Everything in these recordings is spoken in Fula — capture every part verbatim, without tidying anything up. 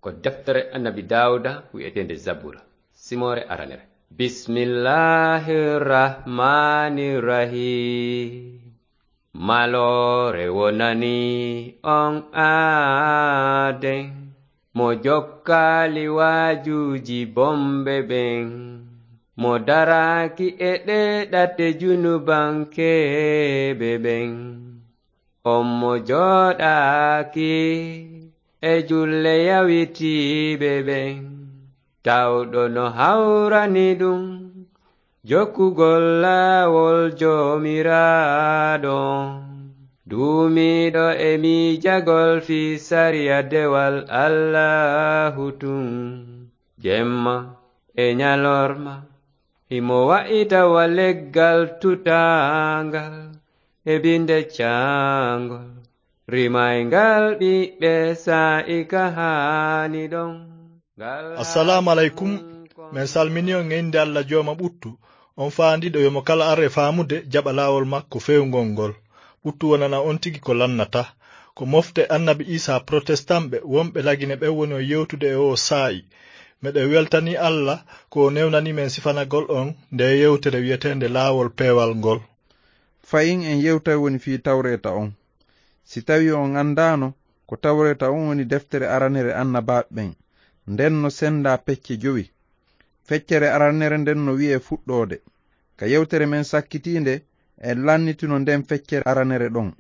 Ko deftere Annabi Daawuda wi'eteende Zabura, simoore aranere. Bismillahir Rahmanir Rahim. Maloore wonani on aaden, mo jokkaali waajuuji bonɓe ɓen, mo daraaki e ɗee ɗate junubankeeɓe ɓen. On mo jooɗaaki e julle yawitiiɓe ɓen, tawɗo no hawrani ɗum jokkugol laawol Joomiraaɗo on. Duumiiɗo e miijagol fii sariya dewal Allaahu tun, jemma e ɲalorma, himo wa'ita wa leggal tutaangal e binde caangol, rimayngal ɓiɓɓe saa'i ka haani ɗon. Ngal Assalaamu aleykum. Men salmini on e innde Alla Jooma ɓuttu, on faandiiɗo yo mo kala ar e faamude jaɓa laawol makko feewngol ngol. Ɓuttu wonana on tigi ko lannata. Ko mofte Annabi Iisaa Protestanɓe wonɓe Lagine ɓen woni on yewtude e oo saa'i. Meɗen weltanii Alla ko o newnanii men sifanagol on ndee yewtere wi'eteende Laawol Peewal ngol. Fahin en yewtay woni fii Tawreeta on. Si tawii on anndaano, ko Tawreeta on woni deftere aranere annabaaɓe ɓen. Nden no senndaa pecce jowi. Feccere aranere nden no wi'ee Fuɗɗoode. Ka yewtere men sakkitiinde, en lannitino nden feccere aranere ɗon.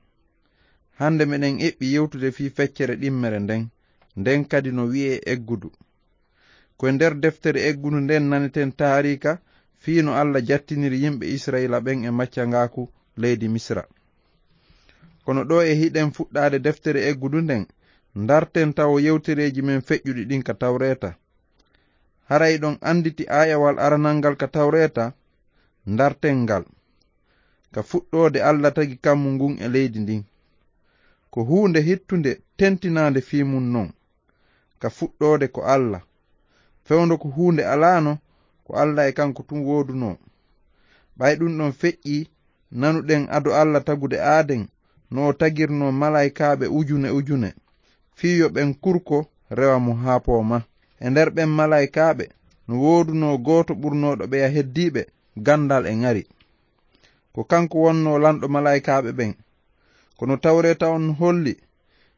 Hannde meɗen eɓɓi yewtude fii feccere ɗimmere nden, nden kadi no wi'ee Eggudu. Ko e nder deftere Eggudu nden naneten taariika fii no Alla jattiniri yimɓe Isra'iila ɓen e maccangaaku leydi Misira. Kono ɗoo e hiɗen fuɗɗaade deftere Eggudu nden, ndarten tawo yewtereeji men feƴƴuɗi ɗin ka Tawreeta. Hara hiɗon annditi aayawal aranal ngal ka Tawreeta? Ndarten ngal. Ka fuɗɗoode Alla tagi kammu ngun e leydi ndin. Ko huunde hittunde tentinaande fii mun non. Ka fuɗɗoode ko Alla. Fewndo ko huunde alaano, ko Alla e kanko tun woodunoo. Ɓay ɗun ɗon feƴƴii, nanuɗen ado Alla tagude aaden, no o tagirnoo malaykaaɓe ujune ujune, fii yo ɓen kurko rewa mo haa pooma. E nder ɓen malaykaaɓe, no woodunoo gooto ɓurnooɗo ɓeya heddiiɓe ganndal e ŋari. Ko kanko wonnoo lanɗo malaykaaɓe ɓen. Kono Tawreeta on holli,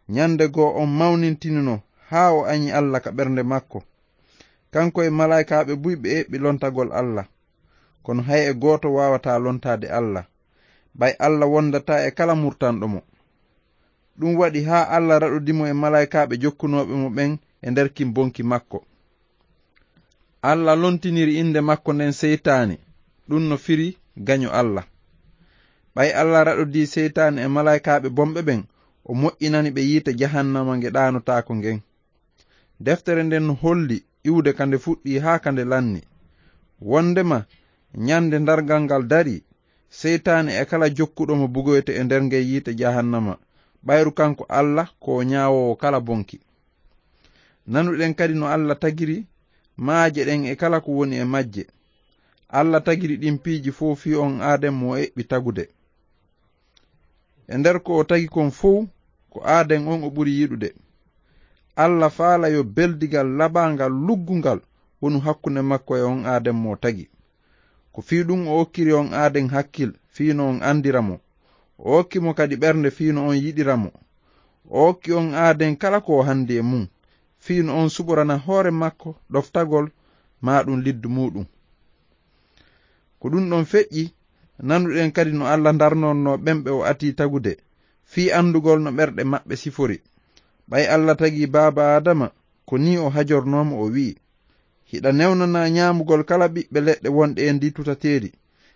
ɲande goo on mawnintinino haa o aɲi Alla ka ɓernde makko. Kanko e malaykaaɓe buy ɓe eɓɓi lontagol Alla. Kono hay e gooto waawataa lontaade Alla, ɓay Alla wondataa e kala murtanɗo mo. Ɗun waɗi haa Alla raɗodi mo e malaykaaɓe jokkunooɓe mo ɓen e nder kin bonki makko. Alla lontiniri innde makko nden Seytaane, ɗun no firi gaɲo Alla. Ɓay Alla raɗodii Seytaane e malaykaaɓe bonɓe ɓen, o moƴƴinani ɓe yiite jahannama nge ɗaanotaako ngen. Deftere nden no holli iwde ka nde fuɗɗii haa ka nde lanni. Wondema ɲande darngal ngal darii, Seytaane e kala jokkuɗo mo bugoyte e nder ngen yiite jahannama, ɓayru kanko Alla ko o ɲaawoowo kala bonki. Nanuɗen kadi no Alla tagiri maaje ɗen e kala ko woni e majje. Alla tagiri ɗin piiji fow fii on aaden mo o eɓɓi tagude. E nder ko o tagi kon fow, ko aaden on o ɓuri yiɗude. Alla faala yo beldigal laɓaangal luggungal wonu hakkunde makko e on aaden mo o tagi. Ko fii ɗun o okkiri on aaden hakkil fii no on andira mo. O okki mo kadi ɓernde fii no on yiɗira mo. O okki on aaden kala ko o handi e mun, fii no on suɓorana hoore makko ɗoftagol maa ɗun liddu muuɗun. Ko ɗun ɗon feƴƴi, nanuɗen kadi no Alla darnonnoo ɓen ɓe o atii tagude, fii andugol no ɓerɗe maɓɓe sifori. Ɓay Alla tagii baaba Aadama, ko nii o hajornoo mo, o wi'i, "Hiɗa newnanaa ɲaamugol kala ɓiɓɓe leɗɗe wonɗe e ndii tutateeri,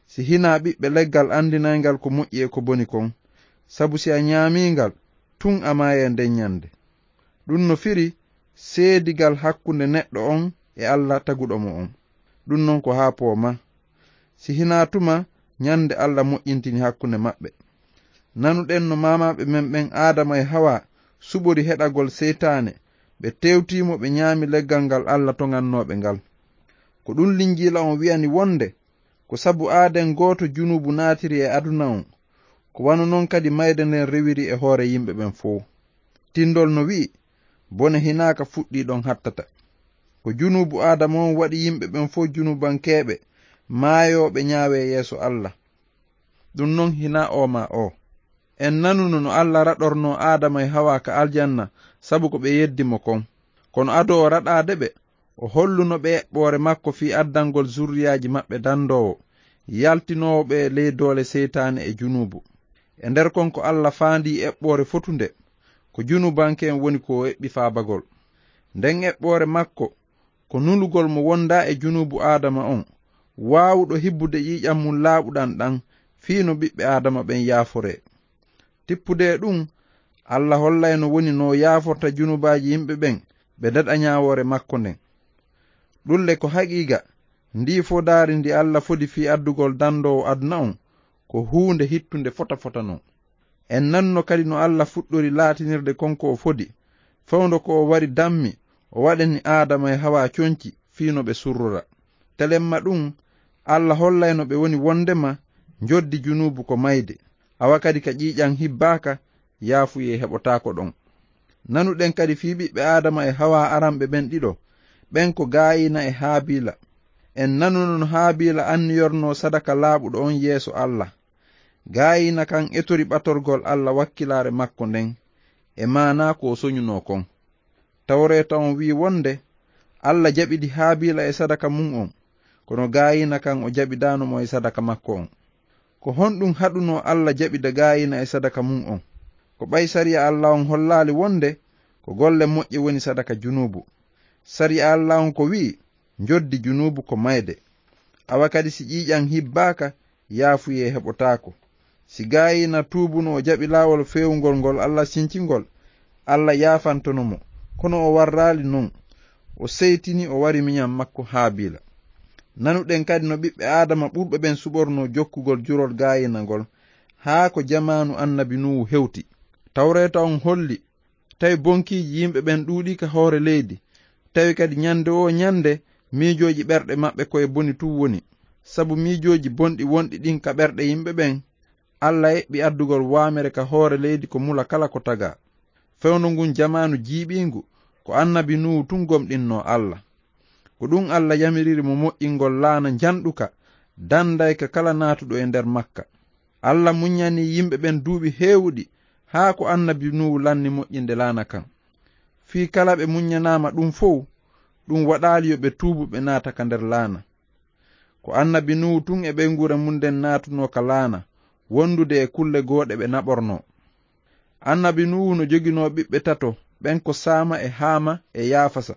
si hinaa ɓiɓɓe leggal andinayngal ko moƴƴi e ko boni kon. Sabu si a ɲaamii ngal, tun a maayay nden ɲande." Ɗun no firi seedigal hakkunde neɗɗo on e Alla taguɗo mo on. Ɗun non ko haa pooma. Si hinaa tuma ɲande Alla moƴƴintini hakkunde maɓɓe. Nanuɗen no maamaaɓe men ɓen Aadama e Hawa suɓori heɗagol Seytaane, ɓe tewtii mo, ɓe ɲaami leggal ngal Alla toŋannoo ɓe ngal. Ko ɗun Linjiila on wi'ani wonde, ko sabu aaden gooto junuubu naatiri e aduna on, ko wano non kadi mayde nden rewiri e hoore yimɓe ɓen fow. Tindol no wi'i, Bone hinaaka fuɗɗii ɗon hattata. Ko junuubu Aadama on waɗi yimɓe ɓen fow junuubankeeɓe, maayooɓe ñaawe yeeso Alla. Ɗun non hinaa oo maa oo. En nanuno no Alla raɗornoo Aadama e Hawaa ka aljanna sabu ko ɓe yeddi mo kon. Kono ado o raɗaade ɓe, o holluno ɓe eɓɓoore makko fii addangol zurriyaaji maɓɓe dandoowo, yaltinoowo ɓe ley doole seytaane e junuubu. E nder kon ko Alla faandii eɓɓoore fotunde, ko junuubanke en woni ko o eɓɓi faabagol. Nden eɓɓoore makko ko nulugol mo wondaa e junuubu Aadama on, waawuɗo hibbude ƴiiƴan mun laaɓuɗan ɗan fii no ɓiɓɓe Aadama ɓen yaaforee. Tippude e ɗun, Alla hollay no woni no o yaaforta junuubaaji yimɓe ɓen ɓe daɗa ñaawoore makko nden. Ɗun le ko haqiiqa, ndii fodaari ndi Alla fodi fii addugol dandoowo aduna on, ko huunde hittunde fota fota non. En nanno kadi no Alla fuɗɗori laatinirde kon ko o fodi, fewndo ko o wari dammi, o waɗani Aadama e Hawaa conci fii no ɓe surrora. Telemma ɗun, Alla hollay no ɓe woni wondema njoddi junuubu ko mayde, awa kadi ka ƴiiƴan hibbaaka, yaafuyee heɓotaako ɗon. Nanuɗen kadi fii ɓiɓɓe Aadama e Hawaa aranɓe ɓen ɗiɗo, ɓen ko Gaayiina e Haabiila. En nanuno no Haabiila anniyornoo sadaka laaɓuɗo on yeeso Alla. Gaayiina kan etori ɓatorgol Alla wakkilaare makko nden, e maanaa ko o soñunoo kon. Tawreeta on wi'i wonde Alla jaɓidi Haabiila e sadaka mun on, kono Gaayiina kan o jaɓidaano mo e sadaka makko on. Ko honɗun haɗunoo Alla jaɓida Gaayiina e sadaka mun on? Ko ɓay sariya Alla on hollaali wonde ko golle moƴƴe woni sadaka junuubu. Sariya Alla on ko wi'i, njoddi junuubu ko mayde. Awa kadi si ƴiiƴan hibbaaka, yaafuyee heɓotaako. Si Gaayiina tuubuno o jaɓi laawol feewungol ngol Alla sincingol, Alla yaafantono mo, kono o warraali non. O seytini, o wari miñan makko Haabiila. Nanuɗen kadi no ɓiɓɓe Aadama ɓurɓe ɓen suɓornoo jokkugol jurol Gaayiina ngol, haa ko jamaanu annabi Nuuhu hewti. Tawreeta on holli, tawi bonkiiji yimɓe ɓen ɗuuɗii ka hoore leydi, tawi kadi ñande woo ñande miijooji ɓerɗe maɓɓe ko e boni tun woni. Sabu miijooji bonɗi wonɗi ɗin ka ɓerɗe yimɓe ɓen, Alla eɓɓi addugol waamere ka hoore leydi ko mula kala ko tagaa. Fewndo ngun jamaanu jiiɓiingu, ko annabi Nuuhu tun gomɗinnoo Alla. Ko ɗun Alla yamiriri mo moƴƴingol laana njanɗuka, dandayka kala naatuɗo e nder makka. Alla muññanii yimɓe ɓen duuɓi heewuɗi, haa ko annabi Nuuhu lanni moƴƴinde laana kan. Fii kala ɓe muññanaama ɗun fow, ɗun waɗaali yo ɓe tuubu ɓe naata ka nder laana. Ko annabi Nuuhu tun e ɓeynguure mun nden naatunoo ka laana, wondude e kulle gooɗe ɓe naɓornoo. Annabi Nuuhu no joginoo ɓiɓɓe tato, ɓen ko Saama e Haama e Yaafasa.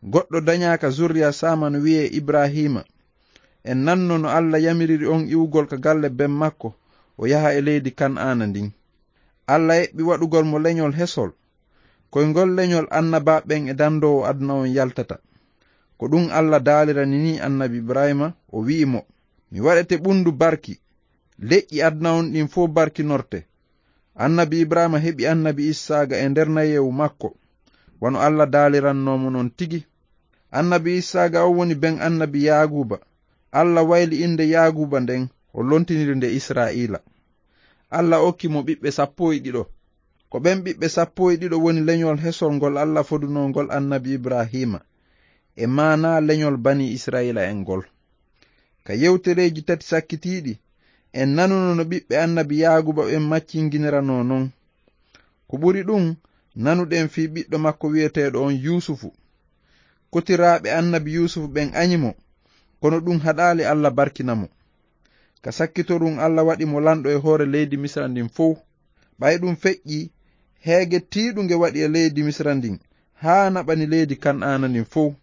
Goɗɗo dañaa ka zurriya Saama no wi'ee Ibraahiima. En nanno no Alla yamiriri on iwugol ka galle ben makko, o yaha e leydi Kan'aana ndin. Alla eɓɓi waɗugol mo leñol hesol. Ko e ngol leñol annabaaɓe ɓen e dandoowo aduna on yaltata. Ko ɗun Alla daalirani nii annabi Ibraahiima, o wi'i mo, "Mi waɗete ɓundu barki, leƴƴi aduna on ɗin fow barkinorte." Annabi Ibraahiima heɓi annabi Issaaqa e nder nayeewu makko, wano Alla daalirannoo mo non tigi. Annabi Issaaqa on woni ben annabi Yaaquuba. Alla wayli innde Yaaquuba nden, o lontiniri nde Israa'iila. Alla okki mo ɓiɓɓe sappo e ɗiɗo. Ko ɓen ɓiɓɓe sappo e ɗiɗo woni leñol hesol ngol Alla fodunoo ngol annabi Ibraahiima, e maanaa leñol banii Israa'iila en ngol. Ka yewtereeji tati sakkitiiɗi, en nanuno no ɓiɓɓe annabi Yaaquuba ɓen maccinnginiranoo non. Ko ɓuri ɗun, nanuɗen fii ɓiɗɗo makko wi'eteeɗo on Yuusufu. Kotiraaɓe annabi Yuusufu ɓen añi mo, kono ɗun haɗaali Alla barkina mo. Ka sakkitorun Alla waɗi mo lanɗo e hoore leydi Misira ndin fow. Ɓay ɗun feƴƴii, heege tiiɗunge waɗi e leydi Misira ndin, haa naɓani leydi Kan'aana ndin fow.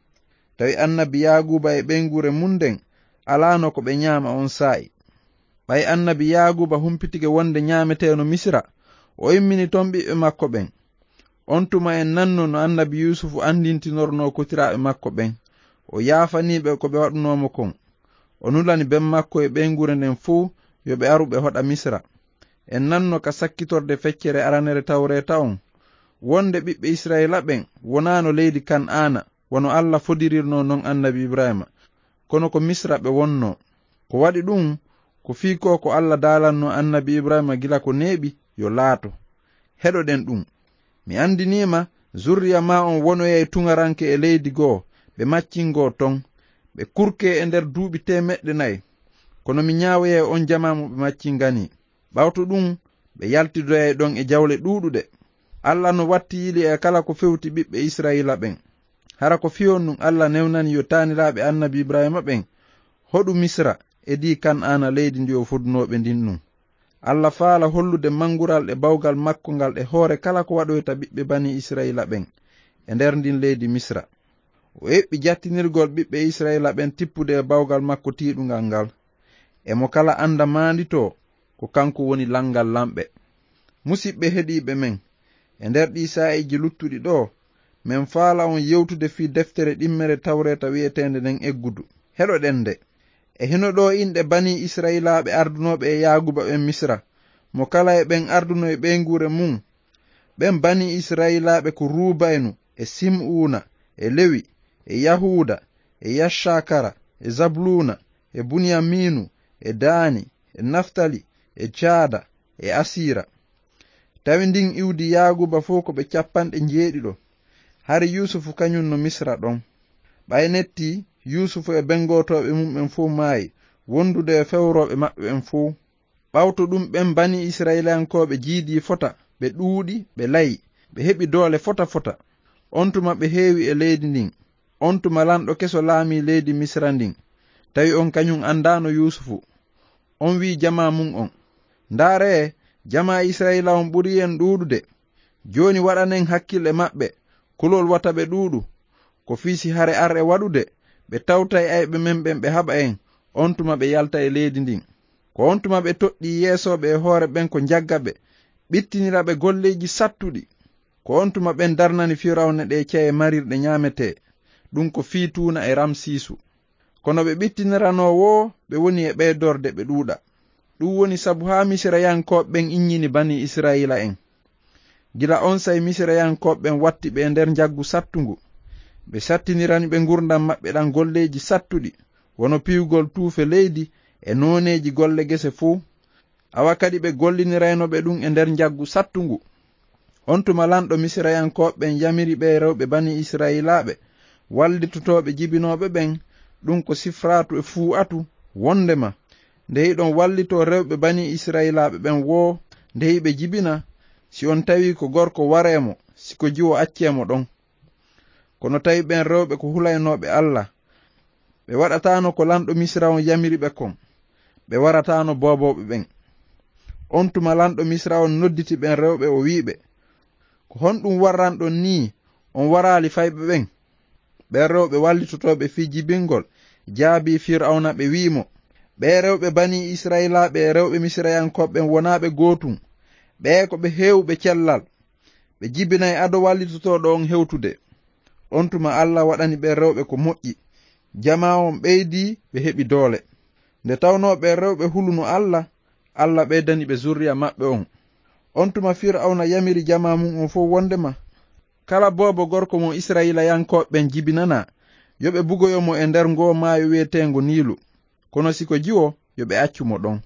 Tawi annabi Yaaquuba e ɓeynguure mun nden alaano ko ɓe ñaama on saa'i. Ɓay annabi Yaaquuba humpitike wonde ñaameteeno Misira, o immini ton ɓiɓɓe makko ɓen. On tuma en nanno no annabi Yuusufu andintinornoo kotiraaɓe makko ɓen. O yaafanii ɓe ko ɓe waɗunoo mo kon. O nulani ben makko e ɓeynguure nden fow yo ɓe aru ɓe hoɗa Misira. En nanno ka sakkitorde feccere aranere Tawreeta on, wonde ɓiɓɓe Israa'iila ɓen wonaano leydi Kan'aana, wano Alla fodirirnoo non annabi Ibraahiima. Kono ko Misira ɓe wonnoo. Ko waɗi ɗun, ko fii ko ko Alla daalannoo annabi Ibraahiima gila ko neeɓi, yo laato. Heɗoɗen ɗun. Mi andinii ma Zurriya ma on wonoyay tuŋaranke e leydi goo, ɓe maccingo ton. Ɓe kurke e nder duuɓi teemeɗɗe nayi. Kono mi ñaawoyay on jamaa mo ɓe maccinganii. Ɓawto ɗum, ɓe yaltidoyay ɗon e jawle ɗuuɗuɗe. Alla no watti yili e kala ko fewti ɓiɓɓe Israa'iila ɓen. Hara ko fii honɗum Alla newnani yo taaniraaɓe Annabi Ibrahiima ɓen hoɗu Misra, edii Kan'aana, leydi ndi o fodunoo ɓe ndin ɗum? Alla faala hollude manngural e bawgal makko ngal e hoore kala ko waɗoyta ɓiɓɓe Banii-Israa'iila ɓen e nder ndin leydi Misra. O eɓɓi jattinirgol ɓiɓɓe Israa'iila ɓen tippude e bawgal makko tiiɗungal ngal. E mo kala annda maanditoo ko kanko woni Lanngal Lamɓe. Musiɓɓe heɗiiɓe men, e nder ɗii saa'iiji luttuɗi ɗoo, men faala on yewtude fii deftere ɗimmere Tawreeta wi'eteende nden Eggudu. Heɗoɗen nde. E hino ɗoo inɗe Banii-Israa'iilaaɓe ardunooɓe e Yaaguuba ɓen Misra, mo kala e ɓen arduno e ɓeynguure mun. Ɓen Banii-Israa'iilaaɓe ko Ruubaynu, e Sim'uuna, e Lewi, e Yahuuda, e Yaccakara, e Zabluuna, e Buniyamiinu, e Daani, e Naftali, e Jaada, e Asiira. Tawi ndin iwdi Yaaguuba fow ko ɓe cappanɗe njeeɗiɗo. Hari Yuusufu kañun no Misra ɗon. Ɓay netti, Yuusufu e bengotooɓe mum'en fow maayi, wondude e fewrooɓe maɓɓe ɓen fow. Ɓawto ɗum, ɓen Banii-Israa'iilankooɓe jiidii fota, ɓe ɗuuɗi, ɓe layi, ɓe heɓi doole fota fota. On tuma ɓe heewi e leydi ndin. On tuma lanɗo keso laamii leydi Misra ndin, tawi on kañun andaano Yuusufu. On wi'i jamaa mun on: "Ndaaree, jamaa Israa'iila on ɓurii en ɗuuɗude. Jooni waɗanen hakkil e maɓɓe, kulol wata ɓe ɗuuɗu. Ko fii si hare ar e waɗude, ɓe tawtay ayɓe men ɓen ɓe haɓa en, on tuma ɓe yalta e leydi ndin." Ko on tuma ɓe toɗɗii yeesooɓe e hoore ɓen ko njagga ɓe, ɓittinira ɓe golleeji sattuɗi. Ko on tuma ɓen darnani Firawna ɗee ceye marirɗe ñaametee, ɗum ko fii Tuuna e Ramsiisu. Kono ɓe ɓittiniranoo woo, ɓe woni e ɓeydorde ɓe ɗuuɗa. Ɗum woni sabu haa Misirayankooɓe ɓen inñini Banii-Israa'iila'en. Gila onsay Misirayankooɓe ɓen watti ɓe e nder njaggu sattungu. Ɓe sattinirani ɓe ngurndan maɓɓe ɗan golleeji sattuɗi, wano piyugol tuufe leydi e nooneeji golle gese fow. Awa kadi ɓe gollinirayno ɓe ɗum e nder njaggu sattungu. On tuma lanɗo Misirayankooɓe ɓen yamiri ɓee rewɓe Banii-Israa'iilaaɓe wallitotooɓe jibinooɓe ɓen, ɗum ko Sifraatu e Fuu'atu, wondema: "Nde hiɗon wallitoo rewɓe Banii-Israa'iilaaɓe ɓen woo, nde hiɓe jibina, si on tawii ko gorko, waree mo, si ko jiwo, accee mo ɗon." Kono tawi ɓen rewɓe ko hulaynooɓe Alla. Ɓe waɗataano ko lanɗo Misira on yamiri ɓe kon. Ɓe warataano boobooɓe ɓen. On tuma lanɗo Misira on nodditi ɓen rewɓe, o wi'i ɓe: "Ko honɗum warranɗon nii, on waraali fayɓe ɓen?" Ɓen rewɓe wallitotooɓe fii jibingol jaabii Firawna, ɓe wi'i mo: "Ɓee rewɓe Banii-Israa'iilaaɓe e rewɓe Misirayankooɓe ɓen wonaa ɓe gootum. Ɓee ko ɓe heewuɓe cellal. Ɓe jibinay ado wallitotooɗo on hewtude." On tuma Alla waɗani ɓen rewɓe ko moƴƴi. Jamaa on ɓeydii, ɓe heɓi doole. Nde tawnoo ɓen rewɓe huluno Alla, Alla ɓeydani ɓe zurriya maɓɓe on. On tuma Firawna yamiri jamaa mun on fow wondema kala boobo gorko mo Israa'iilayankooɓe ɓen jibinanaa, yo ɓe bugoyo mo e nder ngoo maayo wi'eteengo Niilu. Kono si ko jiwo, yo ɓe accu mo ɗon.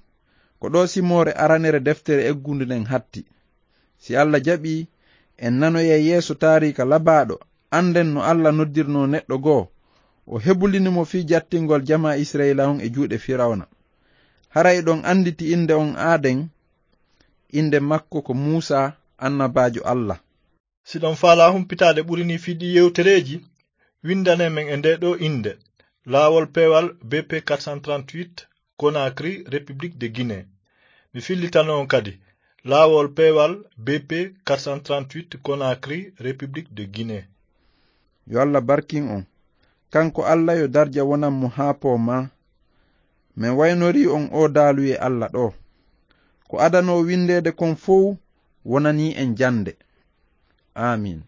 Ko ɗoo simoore aranere deftere eggunde nden hatti. Si Alla jaɓii, en nanoyay yeeso taariika labaaɗo, annden no Alla noddirnoo neɗɗo goo, o hebulini mo fii jattingol jamaa Israa'iila on e juuɗe Firawna. Haray ɗon annditi innde on aaden, innde makko ko Muusaa, annabaajo Alla. Si ɗon faalaa humpitaade ɓuri nii fii ɗii yewtereeji, winndane men e ndee ɗoo innde: Laawol Peewal B P quatre cent trente-huit, Conakry, République de Guinée. Mi fillitano on kadi: Laawol Peewal B P quatre cent trente-huit, Conakry, République de Guinée. Yo Alla barkin on. Kanko Alla, yo darja wonan mo haa poomaa. Men waynorii on oo daaluye Alla ɗoo. Ko adanoo winndeede kon fow wonanii en jannde. Aamiin.